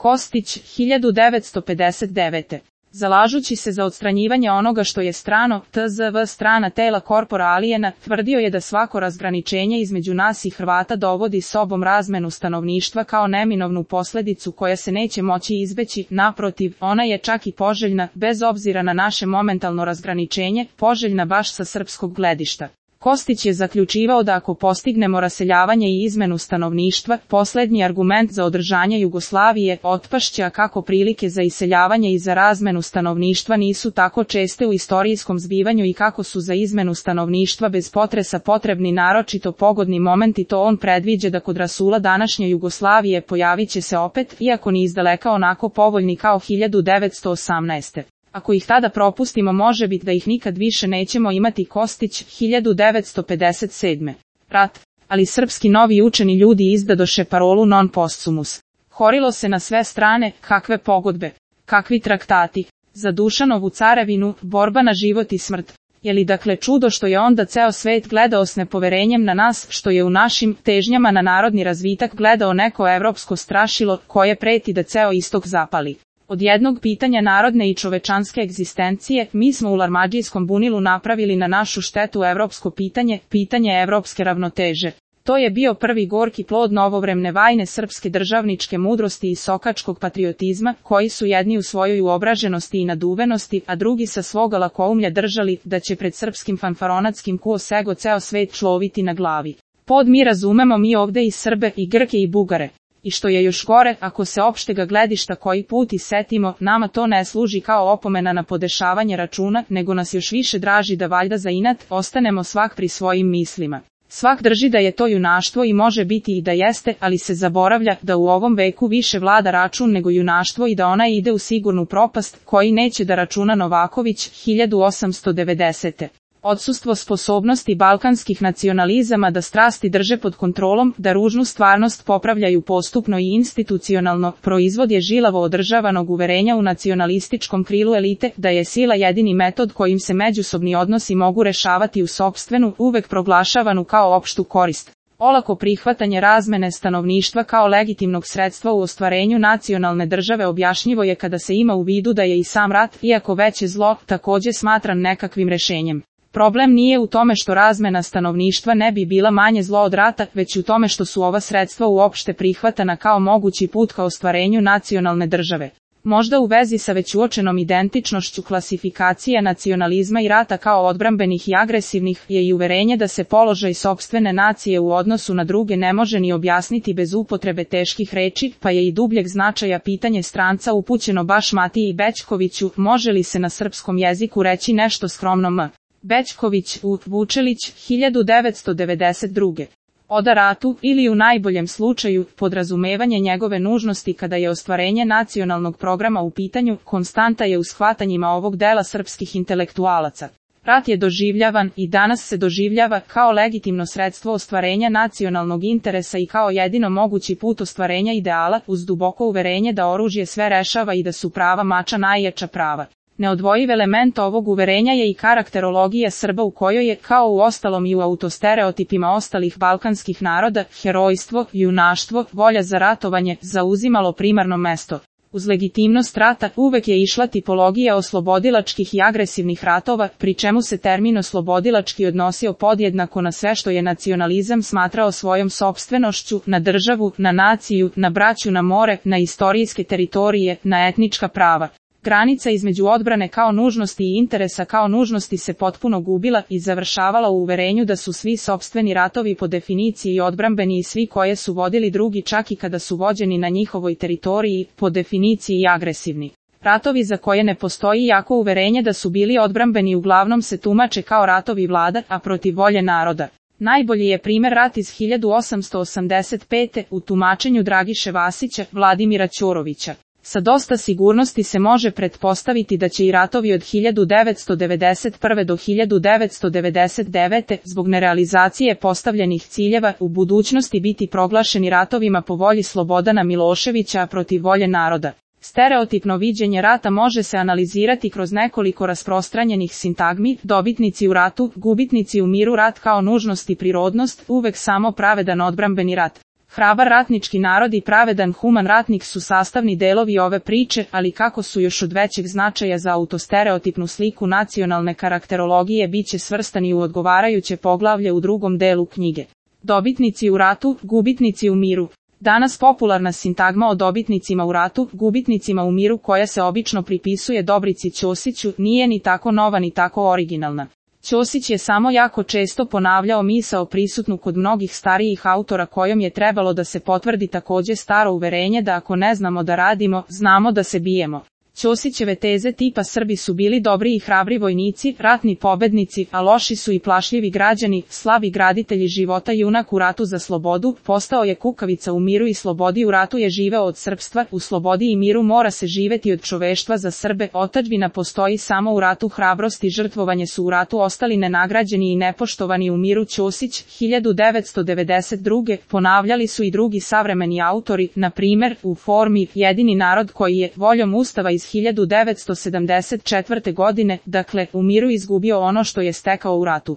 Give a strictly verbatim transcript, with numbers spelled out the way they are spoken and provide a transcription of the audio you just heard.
Kostić, hiljadu devetsto pedeset devete. Zalažući se za odstranjivanje onoga što je strano, tzv. strana tela corpora aliena, tvrdio je da svako razgraničenje između nas i Hrvata dovodi sobom razmenu stanovništva kao neminovnu posljedicu koja se neće moći izbeći, naprotiv, ona je čak i poželjna, bez obzira na naše momentalno razgraničenje, poželjna baš sa srpskog gledišta. Kostić je zaključivao da ako postignemo raseljavanje i izmenu stanovništva, posljednji argument za održanje Jugoslavije otpašće, a kako prilike za iseljavanje i za razmenu stanovništva nisu tako česte u istorijskom zbivanju i kako su za izmenu stanovništva bez potresa potrebni naročito pogodni momenti, to on predviđa da kod rasula današnje Jugoslavije pojavit će se opet, iako ni izdaleka onako povoljni kao hiljadu devetsto osamnaeste. Ako ih tada propustimo, može biti da ih nikad više nećemo imati. Kostić, hiljadu devetsto pedeset sedme. Rat. Ali srpski novi učeni ljudi izdadoše parolu non posthumus. Horilo se na sve strane, kakve pogodbe, kakvi traktati, za Dušanovu carevinu, borba na život i smrt. Je li dakle čudo što je onda ceo svet gledao s nepoverenjem na nas, što je u našim težnjama na narodni razvitak gledao neko evropsko strašilo, koje preti da ceo istok zapali? Od jednog pitanja narodne i čovečanske egzistencije, mi smo u Larmadžijskom bunilu napravili na našu štetu evropsko pitanje, pitanje evropske ravnoteže. To je bio prvi gorki plod novovremne vajne srpske državničke mudrosti i sokačkog patriotizma, koji su jedni u svojoj uobraženosti i naduvenosti, a drugi sa svoga lakoumlja držali da će pred srpskim fanfaronatskim kuosego ceo svet človiti na glavi. Pod mi razumemo mi ovde i Srbe, i Grke i Bugare. I što je još gore, ako se opštega gledišta koji put i setimo, nama to ne služi kao opomena na podešavanje računa, nego nas još više draži da valjda za inat ostanemo svak pri svojim mislima. Svak drži da je to junaštvo i može biti i da jeste, ali se zaboravlja da u ovom veku više vlada račun nego junaštvo i da ona ide u sigurnu propast, koji neće da računa Novaković, hiljadu osamsto devedesete. Odsustvo sposobnosti balkanskih nacionalizama da strasti drže pod kontrolom, da ružnu stvarnost popravljaju postupno i institucionalno, proizvod je žilavo održavanog uverenja u nacionalističkom krilu elite, da je sila jedini metod kojim se međusobni odnosi mogu rešavati u sopstvenu, uvek proglašavanu kao opštu korist. Olako prihvatanje razmene stanovništva kao legitimnog sredstva u ostvarenju nacionalne države objašnjivo je kada se ima u vidu da je i sam rat, iako veće zlo, takođe smatran nekakvim rešenjem. Problem nije u tome što razmena stanovništva ne bi bila manje zlo od rata, već u tome što su ova sredstva uopšte prihvatana kao mogući put ka ostvarenju nacionalne države. Možda u vezi sa već uočenom identičnošću klasifikacije nacionalizma i rata kao odbrambenih i agresivnih je i uverenje da se položaj sopstvene nacije u odnosu na druge ne može ni objasniti bez upotrebe teških reči, pa je i dubljeg značaja pitanje stranca upućeno baš Matiji Bećkoviću, može li se na srpskom jeziku reći nešto skromno m. Bećković, U. Vučelić, hiljadu devetsto devedeset druge. Oda ratu, ili u najboljem slučaju, podrazumevanje njegove nužnosti kada je ostvarenje nacionalnog programa u pitanju, konstanta je u shvatanjima ovog dela srpskih intelektualaca. Rat je doživljavan i danas se doživljava kao legitimno sredstvo ostvarenja nacionalnog interesa i kao jedino mogući put ostvarenja ideala, uz duboko uverenje da oružje sve rešava i da su prava mača najjača prava. Neodvojiv element ovog uverenja je i karakterologija Srba u kojoj je, kao u ostalom i u autostereotipima ostalih balkanskih naroda, herojstvo, junaštvo, volja za ratovanje, zauzimalo primarno mesto. Uz legitimnost rata uvek je išla tipologija oslobodilačkih i agresivnih ratova, pri čemu se termin oslobodilački odnosio podjednako na sve što je nacionalizam smatrao svojom sopstvenošću, na državu, na naciju, na braću na more, na istorijske teritorije, na etnička prava. Granica između odbrane kao nužnosti i interesa kao nužnosti se potpuno gubila i završavala u uverenju da su svi sopstveni ratovi po definiciji odbrambeni i svi koje su vodili drugi čak i kada su vođeni na njihovoj teritoriji, po definiciji agresivni. Ratovi za koje ne postoji jako uverenje da su bili odbrambeni uglavnom se tumače kao ratovi vlada, a protiv volje naroda. Najbolji je primer rat iz hiljadu osamsto osamdeset pete u tumačenju Dragiše Vasića, Vladimira Ćorovića. Sa dosta sigurnosti se može pretpostaviti da će i ratovi od hiljadu devetsto devedeset prve do hiljadu devetsto devedeset devete zbog nerealizacije postavljenih ciljeva u budućnosti biti proglašeni ratovima po volji Slobodana Miloševića protiv volje naroda. Stereotipno viđenje rata može se analizirati kroz nekoliko rasprostranjenih sintagmi, dobitnici u ratu, gubitnici u miru, rat kao nužnost i prirodnost, uvek samo pravedan odbrambeni rat. Hrabar ratnički narod i pravedan human ratnik su sastavni delovi ove priče, ali kako su još od većeg značaja za autostereotipnu sliku nacionalne karakterologije biće svrstani u odgovarajuće poglavlje u drugom delu knjige. Dobitnici u ratu, gubitnici u miru. Danas popularna sintagma o dobitnicima u ratu, gubitnicima u miru koja se obično pripisuje Dobrici Ćosiću, nije ni tako nova ni tako originalna. Ćosić je samo jako često ponavljao misao prisutnu kod mnogih starijih autora kojom je trebalo da se potvrdi takođe staro uverenje da ako ne znamo da radimo, znamo da se bijemo. Ćosićeve teze tipa Srbi su bili dobri i hrabri vojnici, ratni pobednici, a loši su i plašljivi građani, slabi graditelji života, junak u ratu za slobodu, postao je kukavica u miru i slobodi, u ratu je živeo od srpstva, u slobodi i miru mora se živeti od čoveštva za Srbe, otadžbina postoji samo u ratu, hrabrost i žrtvovanje su u ratu ostali nenagrađeni i nepoštovani u miru. Ćosić, hiljadu devetsto devedeset druge. Ponavljali su i drugi savremeni autori, na primer, u formi Jedini narod koji je, voljom Ustava iz hiljadu devetsto sedamdeset četvrte godine, dakle, u miru izgubio ono što je stekao u ratu.